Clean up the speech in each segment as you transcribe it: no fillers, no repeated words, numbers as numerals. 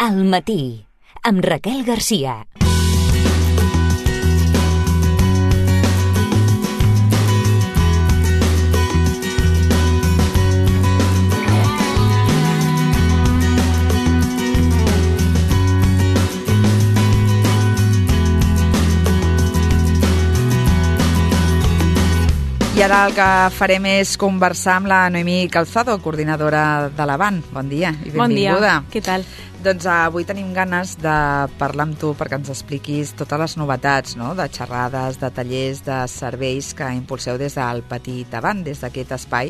Al matí, amb Raquel Garcia. I ara el que farem és conversar amb la Noemí Calzado, coordinadora de l'Avant. Bon dia i benvinguda. Bon dia, què tal? Doncs avui tenim ganes de parlar amb tu perquè ens expliquis totes les novetats, no?, de xerrades, de tallers, de serveis que impulseu des del Petit Avant, des d'aquest espai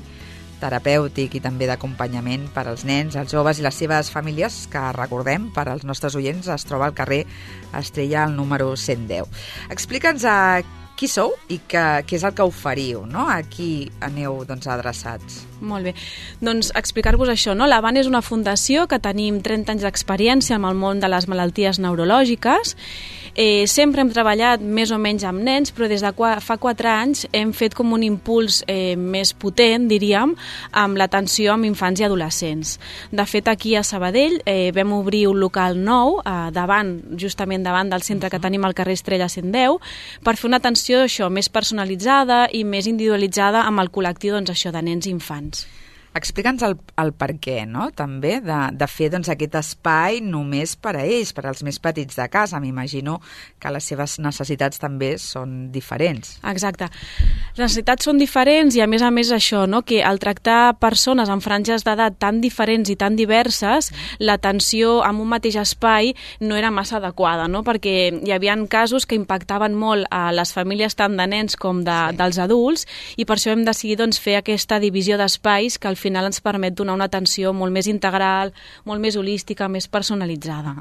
terapèutic i també d'acompanyament per als nens, els joves i les seves famílies, que recordem, per als nostres oients, es troba al carrer Estrella, al número 110. Explica'ns qui sou i què és el que oferiu, no? A qui aneu adreçats? Molt bé. Doncs explicar-vos això, no? L'Avant és una fundació que tenim 30 anys d'experiència amb el món de les malalties neurològiques. Sempre hem treballat més o menys amb nens, però des de fa 4 anys hem fet com un impuls més potent, diríem, amb l'atenció amb infants i adolescents. De fet, aquí a Sabadell vam obrir un local nou, justament davant del centre que tenim al carrer Estrella 110, per fer una atenció més personalitzada i més individualitzada amb el col·lectiu de nens i infants. Explica'ns el per què, no?, també, de fer aquest espai només per a ells, per als més petits de casa. M'imagino que les seves necessitats també són diferents. Exacte. Les necessitats són diferents i a més això, no?, que al tractar persones en franges d'edat tan diferents i tan diverses, l'atenció en un mateix espai no era massa adequada, no?, perquè hi havia casos que impactaven molt a les famílies tant de nens com dels adults, i per això hem decidit fer aquesta divisió d'espais que al final ens permet donar una atenció molt més integral, molt més holística, més personalitzada.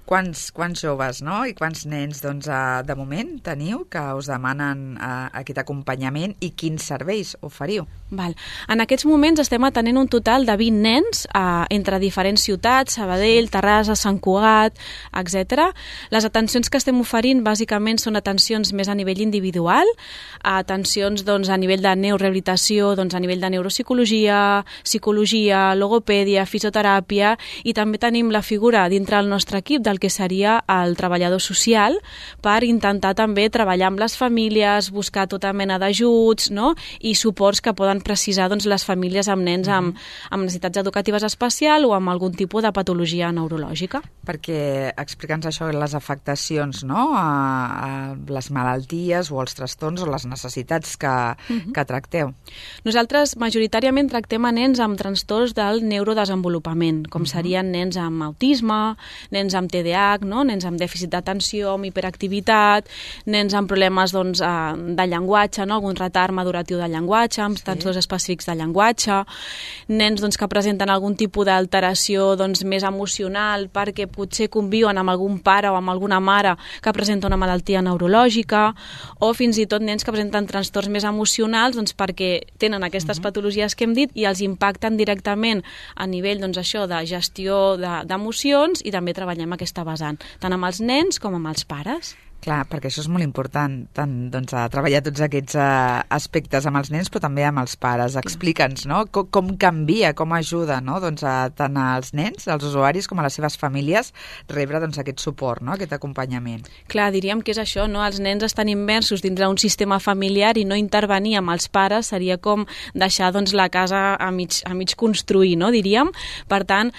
Quants joves, no?, i quants nens, de moment teniu que us demanen aquest acompanyament i quins serveis oferiu? En aquests moments estem atenent un total de 20 nens entre diferents ciutats, Sabadell, Terrassa, Sant Cugat, etc. Les atencions que estem oferint bàsicament són atencions més a nivell individual, atencions a nivell de neurorehabilitació, a nivell de neuropsicologia, psicologia, logopèdia, fisioteràpia, i també tenim la figura dintre el nostre equip del que seria el treballador social, per intentar també treballar amb les famílies, buscar tota mena d'ajuts, no?, i suports que poden precisar les famílies amb nens amb necessitats educatives especials o amb algun tipus de patologia neurològica. Perquè explica'ns això, les afectacions, no?, a les malalties o els trastorns o les necessitats que tracteu. Nosaltres majoritàriament tractem a nens amb trastorns del neurodesenvolupament, com serien nens amb autisme, nens amb TDAH, no?, nens amb dèficit d'atenció, amb hiperactivitat, nens amb problemes de llenguatge, no?, algun retard maduratiu de llenguatge, amb trastorns específics de llenguatge, nens que presenten algun tipus d'alteració més emocional perquè potser conviuen amb algun pare o amb alguna mare que presenta una malaltia neurològica, o fins i tot nens que presenten trastorns més emocionals perquè tenen aquestes patologies que hem dit i els impacten directament a nivell de gestió d'emocions, i també treballem aquesta vessant, tant amb els nens com amb els pares. Clar, perquè això és molt important, tant treballar tots aquests aspectes amb els nens, però també amb els pares. Explica'ns, no?, com canvia, com ajuda, no?, tant als nens, als usuaris, com a les seves famílies, rebre aquest suport, no?, aquest acompanyament. Clar, diríem que és això, no?, els nens estan immersos dins d'un sistema familiar i no intervenir amb els pares seria com deixar la casa a mig construir, no?, diríem. Per tant,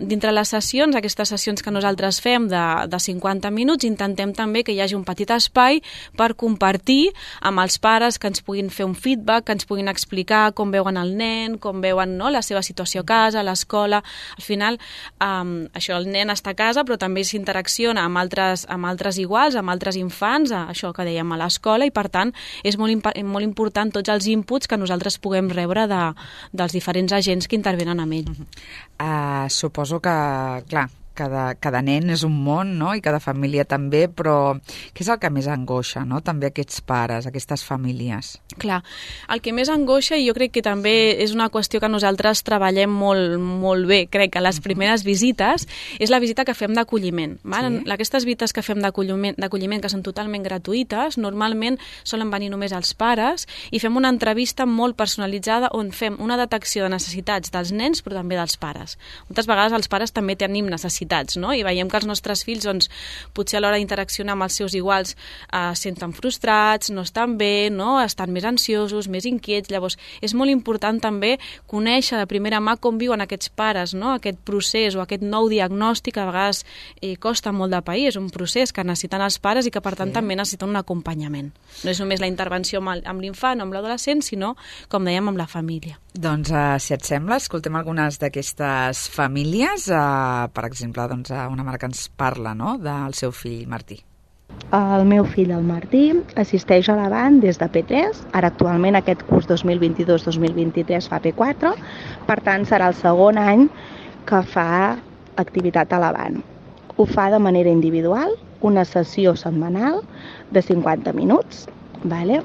dintre les sessions, aquestes sessions que nosaltres fem de 50 minuts, intentem també que hi hagi un petit espai per compartir amb els pares, que ens puguin fer un feedback, que ens puguin explicar com veuen el nen, com veuen, no?, la seva situació a casa, a l'escola. Al final, el nen està a casa, però també s'interacciona amb altres iguals, amb altres infants, això que dèiem, a l'escola, i per tant és molt important tots els inputs que nosaltres puguem rebre dels diferents agents que intervenen amb ell. Suposo que, clar, cada nen és un món, no?, i cada família també, però què és el que més angoixa, no?, també aquests pares, aquestes famílies? Clar, el que més angoixa, i jo crec que també és una qüestió que nosaltres treballem molt bé, crec que les primeres visites, és la visita que fem d'acolliment. Aquestes visites que fem d'acolliment, que són totalment gratuïtes, normalment solen venir només els pares, i fem una entrevista molt personalitzada on fem una detecció de necessitats dels nens, però també dels pares. Moltes vegades els pares també tenim necessitats necessitats, no? I veiem que els nostres fills, doncs, potser a l'hora d'interaccionar amb els seus iguals senten frustrats, no estan bé, no? Estan més ansiosos, més inquiets. Llavors, és molt important també conèixer de primera mà com viuen aquests pares, no? Aquest procés o aquest nou diagnòstic a vegades costa molt de pair, és un procés que necessiten els pares i que per tant també necessiten un acompanyament. No és només la intervenció amb l'infant o amb l'adolescent, sinó, com dèiem, amb la família. Doncs, si et sembla, escoltem algunes d'aquestes famílies. Per exemple, doncs, una mare que ens parla, no?, del seu fill Martí. El meu fill, el Martí, assisteix a l'Avant des de P3. Ara, actualment, aquest curs 2022-2023 fa P4. Per tant, serà el segon any que fa activitat a l'Avant. Ho fa de manera individual, una sessió setmanal de 50 minuts. Vale.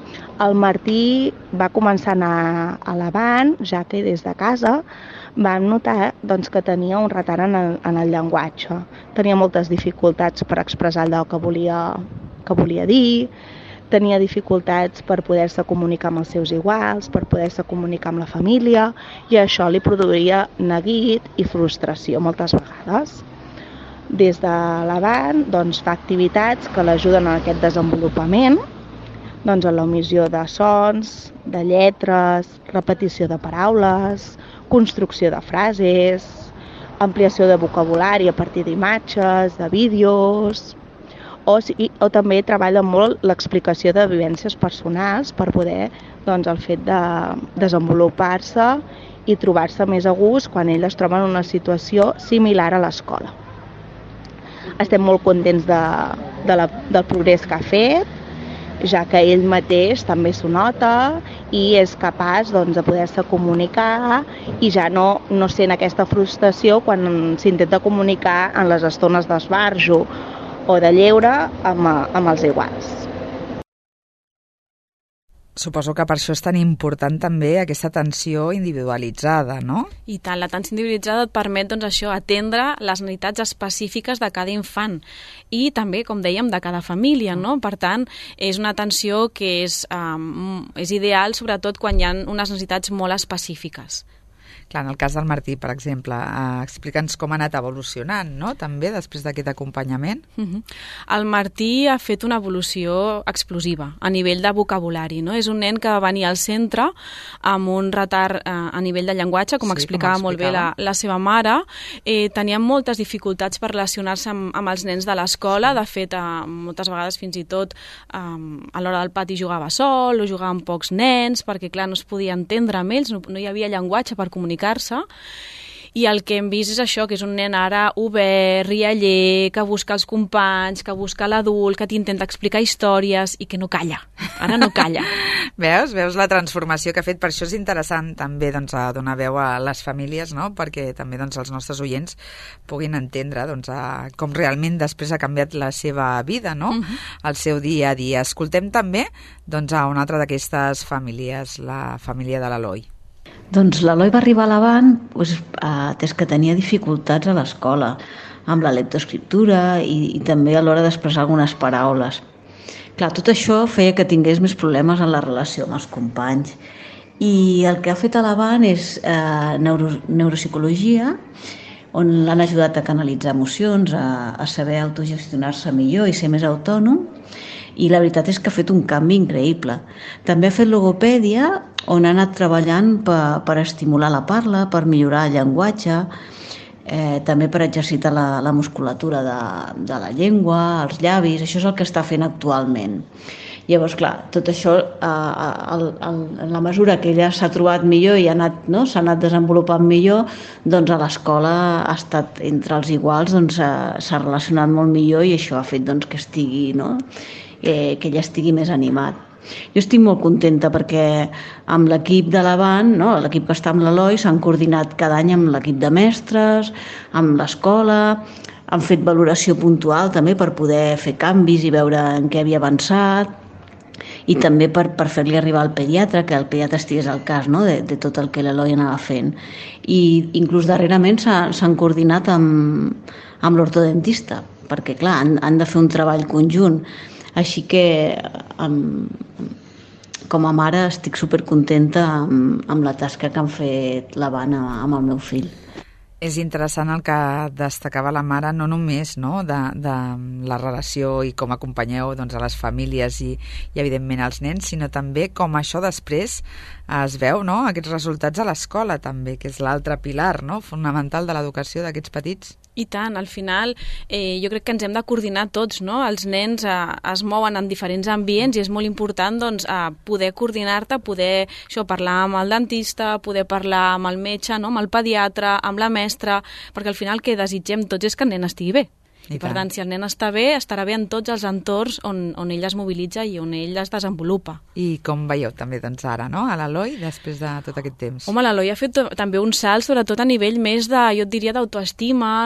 El Martí va començar a anar a l'Avant, ja que des de casa vam notar doncs, que tenia un retard en el llenguatge. Tenia moltes dificultats per expressar allò que volia dir, tenia dificultats per poder-se comunicar amb els seus iguals, per poder-se comunicar amb la família, i això li produïa neguit i frustració moltes vegades. Des de l'Avant doncs, fa activitats que l'ajuden en aquest desenvolupament, doncs en l'omissió de sons, de lletres, repetició de paraules, construcció de frases, ampliació de vocabulari a partir d'imatges, de vídeos, o també treballa molt l'explicació de vivències personals per poder, doncs, el fet de desenvolupar-se i trobar-se més a gust quan ell es troba en una situació similar a l'escola. Estem molt contents del progrés que ha fet, ja que ell mateix també s'ho nota i és capaç doncs, de poder-se comunicar i ja no sent aquesta frustració quan s'intenta comunicar en les estones d'esbarjo o de lleure amb els iguals. Suposo que per això és tan important també aquesta atenció individualitzada, no? I tant, l'atenció individualitzada et permet, doncs, això, atendre les necessitats específiques de cada infant i també, com dèiem, de cada família, no? Per tant, és una atenció que és ideal, sobretot quan hi ha unes necessitats molt específiques. Clar, en el cas del Martí, per exemple, explica'ns com ha anat evolucionant, no?, també després d'aquest acompanyament. El Martí ha fet una evolució explosiva a nivell de vocabulari, no? És un nen que va venir al centre amb un retard a nivell de llenguatge, com explicava molt bé la seva mare. Tenia moltes dificultats per relacionar-se amb els nens de l'escola. De fet, moltes vegades fins i tot a l'hora del pati jugava sol o jugava amb pocs nens, perquè clar, no es podia entendre amb ells, no hi havia llenguatge per comunicar-se, i el que hem vist és això, que és un nen ara obert, rialler, que busca els companys, que busca l'adult, que t'intenta explicar històries i que no calla, ara no calla. Veus la transformació que ha fet? Per això és interessant també, doncs, donar veu a les famílies, no?, perquè també, doncs, els nostres oients puguin entendre, doncs, com realment després ha canviat la seva vida, no?, el seu dia a dia. Escoltem també, doncs, a una altra d'aquestes famílies, la família de l'Eloi. Doncs l'Eloi va arribar a l'Avant atès que tenia dificultats a l'escola, amb la lectoescriptura i també a l'hora d'expressar algunes paraules. Clar, tot això feia que tingués més problemes en la relació amb els companys. I el que ha fet a l'Avant és neuropsicologia, on l'han ajudat a canalitzar emocions, a saber autogestionar-se millor i ser més autònom, i la veritat és que ha fet un canvi increïble. També ha fet logopèdia, on ha anat treballant per estimular la parla, per millorar el llenguatge, també per exercitar la musculatura de la llengua, els llavis. Això és el que està fent actualment. Llavors, clar, tot això, en la mesura que ella s'ha trobat millor i s'ha anat desenvolupant millor, doncs a l'escola ha estat entre els iguals, doncs s'ha relacionat molt millor i això ha fet doncs, que estigui, no?, que ella estigui més animat. Jo estic molt contenta perquè amb l'equip de l'Avant, no, l'equip que està amb l'Eloi, s'han coordinat cada any amb l'equip de mestres, amb l'escola, han fet valoració puntual també per poder fer canvis i veure en què havia avançat, i també per fer-li arribar al pediatre, que el pediatre estigués al cas, no?, de tot el que l'Eloi anava fent. I inclús darrerament s'han coordinat amb l'ortodentista, perquè clar, han de fer un treball conjunt. Així que com a mare estic supercontenta amb la tasca que han fet l'Avant amb el meu fill. És interessant el que destacava la mare, no només de la relació i com acompanyeu a les famílies i evidentment als nens, sinó també com això després es veu, aquests resultats a l'escola també, que és l'altre pilar fonamental de l'educació d'aquests petits. I tant, al final jo crec que ens hem de coordinar tots, Els nens es mouen en diferents ambients i és molt important poder coordinar-te, poder parlar amb el dentista, poder parlar amb el metge, amb el pediatre, amb la mestra, perquè al final el que desitgem tots és que el nen estigui bé. I per tant, si el nen està bé, estarà bé en tots els entorns on ell es mobilitza i on ell es desenvolupa. I com veieu també ara, a l'Eloi, després de tot aquest temps? Home, l'Eloi ha fet també un salt, sobretot a nivell més jo et diria d'autoestima,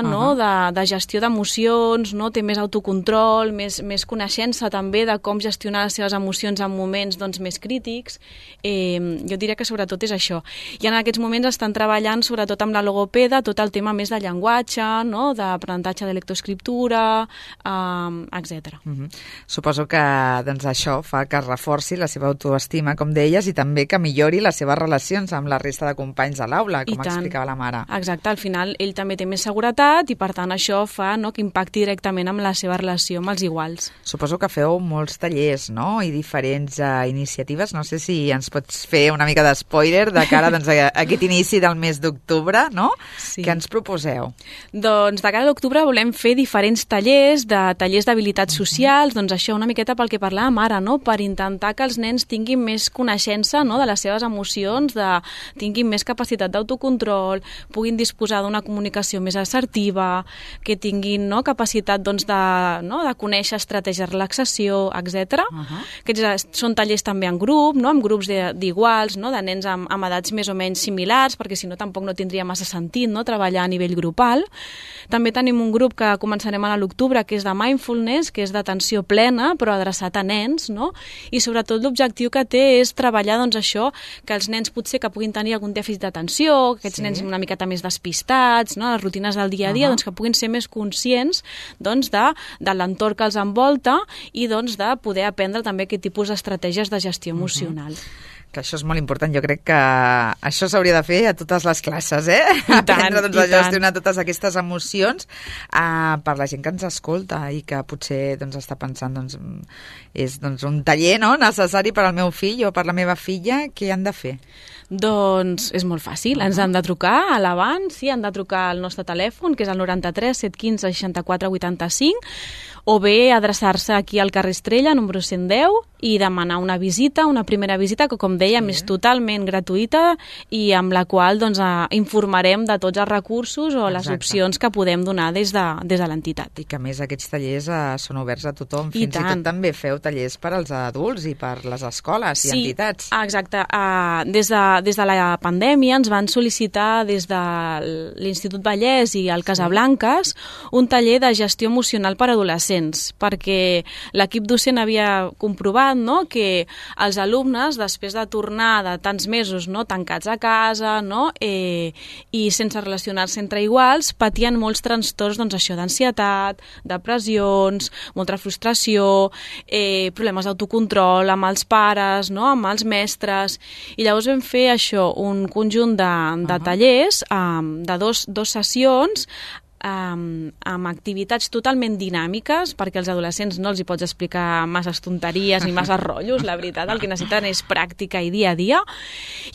de gestió d'emocions, té més autocontrol, més coneixença també de com gestionar les seves emocions en moments més crítics. Jo diria que sobretot és això. I en aquests moments estan treballant sobretot amb la logopeda tot el tema més de llenguatge, d'aprenentatge de lectoescriptura, etc. Suposo que això fa que es reforci la seva autoestima, com deies, i també que millori les seves relacions amb la resta de companys a l'aula, com explicava la mare. Exacte, al final ell també té més seguretat i per tant això fa que impacti directament amb la seva relació amb els iguals. Suposo que feu molts tallers i diferents iniciatives. No sé si ens pots fer una mica d'espoiler de cara a aquest inici del mes d'octubre, Sí. Què ens proposeu? Doncs de cara a l'octubre volem fer diferents tallers d'habilitats socials, això una miqueta pel que parlàvem ara, per intentar que els nens tinguin més coneixença de les seves emocions, tinguin més capacitat d'autocontrol, puguin disposar d'una comunicació més assertiva, que tinguin capacitat de conèixer estratègies de relaxació, etc. Aquests són tallers també en grup, amb grups d'iguals, de nens amb edats més o menys similars, perquè si no tampoc no tindria massa sentit treballar a nivell grupal. També tenim un grup que començarem a l'octubre, que és de mindfulness, que és d'atenció plena, però adreçat a nens, i sobretot l'objectiu que té és treballar això, que els nens potser que puguin tenir algun dèficit d'atenció, que aquests nens una miqueta més despistats, les rutines del dia a dia, que puguin ser més conscients de l'entorn que els envolta i de poder aprendre també aquest tipus d'estratègies de gestió emocional. Que això és molt important. Jo crec que això s'hauria de fer a totes les classes, aprendre a gestionar totes aquestes emocions per la gent que ens escolta i que potser està pensant és un taller necessari per al meu fill o per la meva filla. Què han de fer? Doncs és molt fàcil, ens han de trucar a l'abans, han de trucar al nostre telèfon, que és el 93 715 64 85, o bé adreçar-se aquí al carrer Estrella, número 110, i demanar una visita, una primera visita, que com dèiem és totalment gratuïta i amb la qual informarem de tots els recursos o les opcions que podem donar des de l'entitat. I que a més aquests tallers són oberts a tothom, fins i tot també feu tallers per als adults i per les escoles i entitats. Sí, exacte. Des de la pandèmia ens van sol·licitar des de l'Institut Vallès i el Casablanques un taller de gestió emocional per a adolescents, perquè l'equip docent havia comprovat que els alumnes, després de tornar de tants mesos tancats a casa i sense relacionar-se entre iguals, patien molts trastorns d'ansietat, depressions, molta frustració, problemes d'autocontrol amb els pares, amb els mestres, i llavors vam fer això, un conjunt de tallers, de dos sessions, amb activitats totalment dinàmiques, perquè als adolescents no els hi pots explicar masses tonteries ni masses rotllos, la veritat, el que necessiten és pràctica i dia a dia,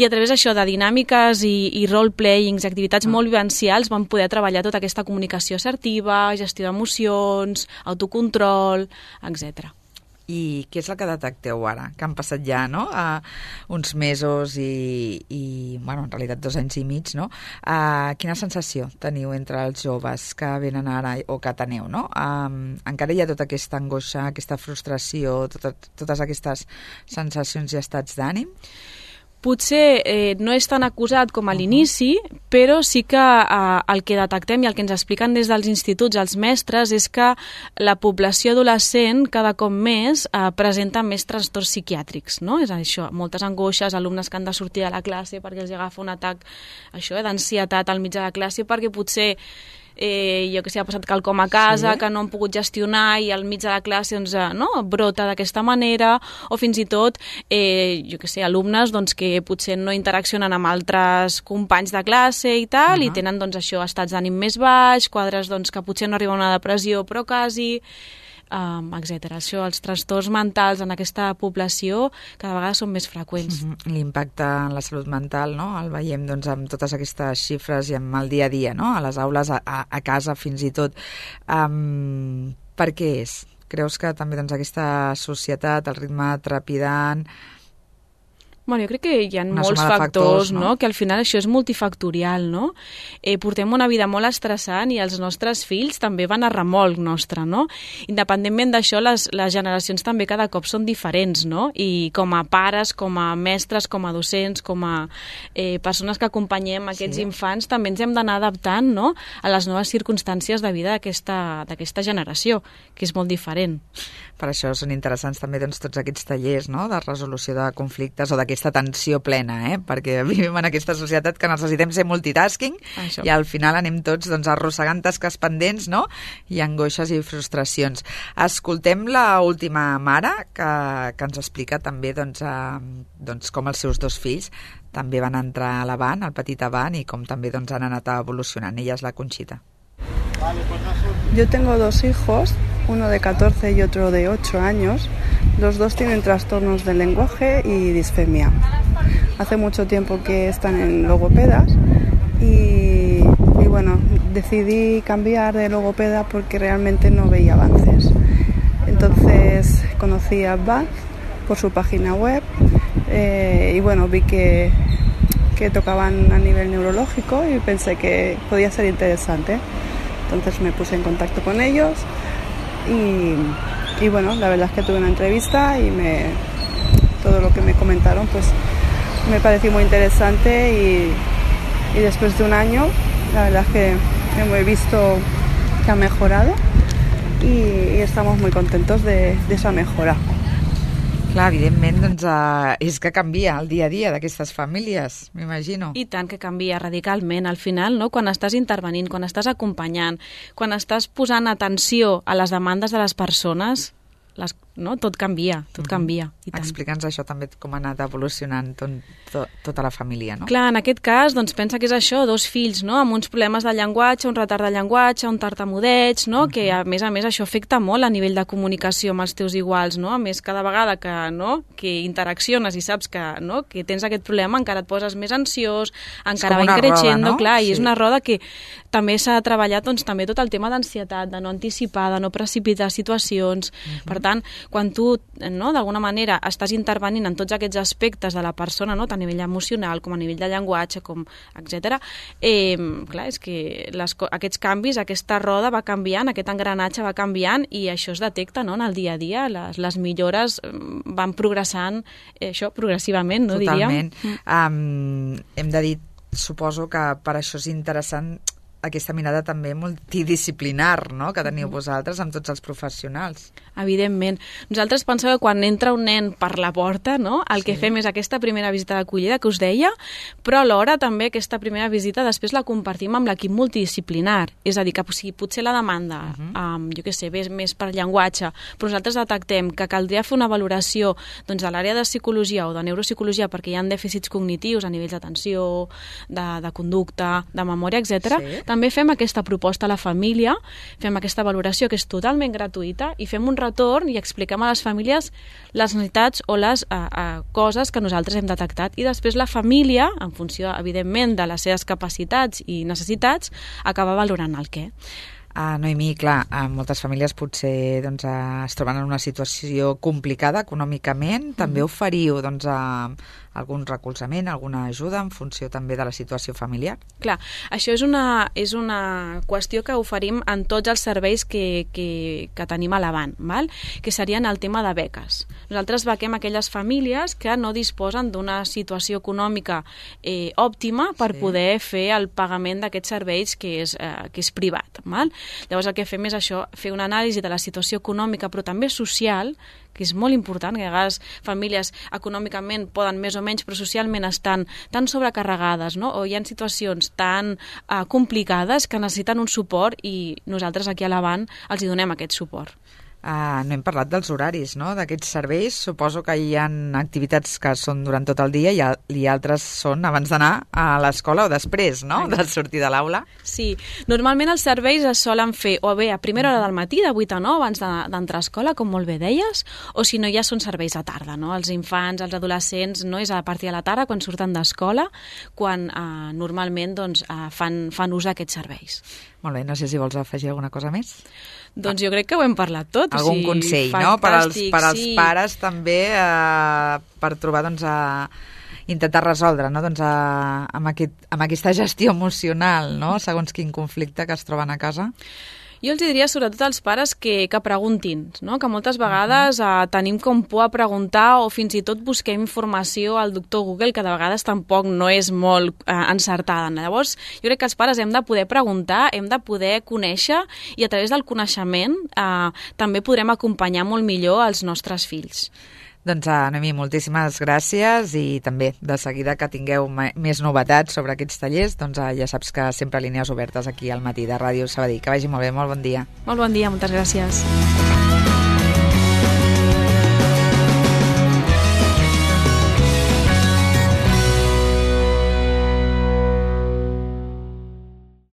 i a través d'això de dinàmiques i role-playings, activitats molt vivencials, vam poder treballar tota aquesta comunicació assertiva, gestió d'emocions, autocontrol, etc. I què és el que detecteu ara? Que han passat ja uns mesos i en realitat 2 anys i mig, quina sensació teniu entre els joves que venen ara o que teniu? Encara hi ha tota aquesta angoixa, aquesta frustració, totes aquestes sensacions i estats d'ànim? Potser no és tan acusat com a l'inici, però sí que el que detectem i el que ens expliquen des dels instituts els mestres és que la població adolescent cada cop més presenta més trastorns psiquiàtrics, És això, moltes angoixes, alumnes que han de sortir de la classe perquè els agafa un atac d'ansietat al mig de la classe, perquè potser jo que sé, ha passat quelcom a casa, que no han pogut gestionar i al mig de la classe doncs, brota d'aquesta manera, o fins i tot, jo que sé, alumnes doncs, que potser no interaccionen amb altres companys de classe i tal, i tenen doncs, això, estats d'ànim més baix, quadres doncs, que potser no arriba a una depressió, però quasi... etc. Això, els trastorns mentals en aquesta població cada vegada són més freqüents. L'impacte en la salut mental, no? El veiem doncs, amb totes aquestes xifres i amb el dia a dia, no? A les aules, a casa fins i tot. Per què és? Creus que també doncs, aquesta societat, el ritme trepidant... Bueno, jo crec que hi ha molts factors, no? Que al final això és multifactorial, no? Portem una vida molt estressant i els nostres fills també van a remolc nostre, no? Independentment d'això, les generacions també cada cop són diferents, no? I com a pares, com a mestres, com a docents, com a persones que acompanyem aquests infants, també ens hem d'anar adaptant, no? A les noves circumstàncies de vida d'aquesta generació, que és molt diferent. Per això són interessants també doncs, tots aquests tallers, no? De resolució de conflictes o d'aquesta tensió plena, perquè vivim en aquesta societat que necessitem ser multitasking i al final anem tots doncs, arrossegant tasques pendents, no? I angoixes i frustracions. Escoltem l'última mare que ens explica també doncs, com els seus dos fills també van entrar a l'Avant, al petit Avant, i com també doncs, han anat evolucionant. Ella és la Conxita. Yo tengo dos hijos, uno de 14 y otro de 8 años. Los dos tienen trastornos del lenguaje y disfemia. Hace mucho tiempo que están en logopedas y bueno, decidí cambiar de logopeda porque realmente no veía avances. Entonces conocí a Baz por su página web y bueno, vi que tocaban a nivel neurológico y pensé que podía ser interesante. Entonces me puse en contacto con ellos y bueno, la verdad es que tuve una entrevista y todo lo que me comentaron pues me pareció muy interesante y después de un año la verdad es que he visto que ha mejorado y estamos muy contentos de esa mejora. Clar, evidentment, doncs, és que canvia el dia a dia d'aquestes famílies, m'imagino. I tant que canvia radicalment. Al final, no? Quan estàs intervenint, quan estàs acompanyant, quan estàs posant atenció a les demandes de les persones, no? Tot canvia, tot canvia. Explica'ns això també, com ha anat evolucionant tota la família, no? Clar, en aquest cas, doncs pensa que és això, dos fills, no? Amb uns problemes de llenguatge, un retard de llenguatge, un tartamudeig, no? Que a més això afecta molt a nivell de comunicació amb els teus iguals, no? A més, cada vegada que interacciones i saps que tens aquest problema, encara et poses més ansiós, encara va increixendo, no? Clar, i és una roda que també s'ha treballat doncs, també tot el tema d'ansietat, de no anticipar, de no precipitar situacions. Per tant, quan tu, d'alguna manera, estàs intervenint en tots aquests aspectes de la persona, tant a nivell emocional com a nivell de llenguatge, etc. Clar, és que aquests canvis, aquesta roda va canviant, aquest engranatge va canviant i això es detecta en el dia a dia. Les millores van progressant, això progressivament, no diríem? Totalment. Hem de dir, suposo que per això és interessant aquesta mirada també multidisciplinar, no?, que teniu vosaltres amb tots els professionals. Evidentment. Nosaltres pensem que quan entra un nen per la porta, no?, el que fem és aquesta primera visita d'acollida que us deia, però alhora també aquesta primera visita després la compartim amb l'equip multidisciplinar. És a dir, que potser la demanda, jo què sé, ve més per llenguatge, però nosaltres detectem que caldria fer una valoració doncs, de l'àrea de psicologia o de neuropsicologia perquè hi ha dèficits cognitius a nivells d'atenció, de conducta, de memòria, etc. També fem aquesta proposta a la família, fem aquesta valoració que és totalment gratuïta i fem un retorn i expliquem a les famílies les necessitats o les coses que nosaltres hem detectat. I després la família, en funció, evidentment, de les seves capacitats i necessitats, acaba valorant el què. Noemí, clar, moltes famílies potser doncs, es troben en una situació complicada econòmicament. També oferiu doncs, algun recolzament, alguna ajuda en funció també de la situació familiar? Clar, això és una qüestió que oferim en tots els serveis que tenim a l'Avant, que serien el tema de beques. Nosaltres bequem aquelles famílies que no disposen d'una situació econòmica òptima per poder fer el pagament d'aquests serveis que és privat. Llavors el que fem és això, fer una anàlisi de la situació econòmica però també social que és molt important, que a vegades famílies econòmicament poden més o menys, però socialment estan tan sobrecarregades, no? O hi ha situacions tan complicades que necessiten un suport i nosaltres aquí a l'Avant els hi donem aquest suport. No hem parlat dels horaris, no?, d'aquests serveis. Suposo que hi ha activitats que són durant tot el dia i altres són abans d'anar a l'escola o després, no?, de sortir de l'aula. Sí, normalment els serveis es solen fer o bé a primera hora del matí, de 8 a 9, abans d'entrar a escola, com molt bé deies, o si no ja són serveis a tarda, no? Els infants, els adolescents, no és a partir de la tarda, quan surten d'escola, quan normalment doncs, fan ús d'aquests serveis. Molt bé, no sé si vols afegir alguna cosa més. Doncs jo crec que ho hem parlat tot. Algun consell, no?, per als pares també, per trobar, doncs, intentar resoldre, no?, doncs, amb aquesta gestió emocional, no?, segons quin conflicte que es troben a casa. Jo els diria sobretot als pares que preguntin, no? Que moltes vegades tenim com por a preguntar o fins i tot busquem informació al doctor Google, que de vegades tampoc no és molt encertada. Llavors, jo crec que els pares hem de poder preguntar, hem de poder conèixer i a través del coneixement també podrem acompanyar molt millor els nostres fills. Doncs, Noemí, moltíssimes gràcies i també, de seguida que tingueu més novetats sobre aquests tallers, doncs ja saps que sempre línies obertes aquí al Matí de Ràdio Sabadell. Que vagi molt bé, molt bon dia. Molt bon dia, moltes gràcies.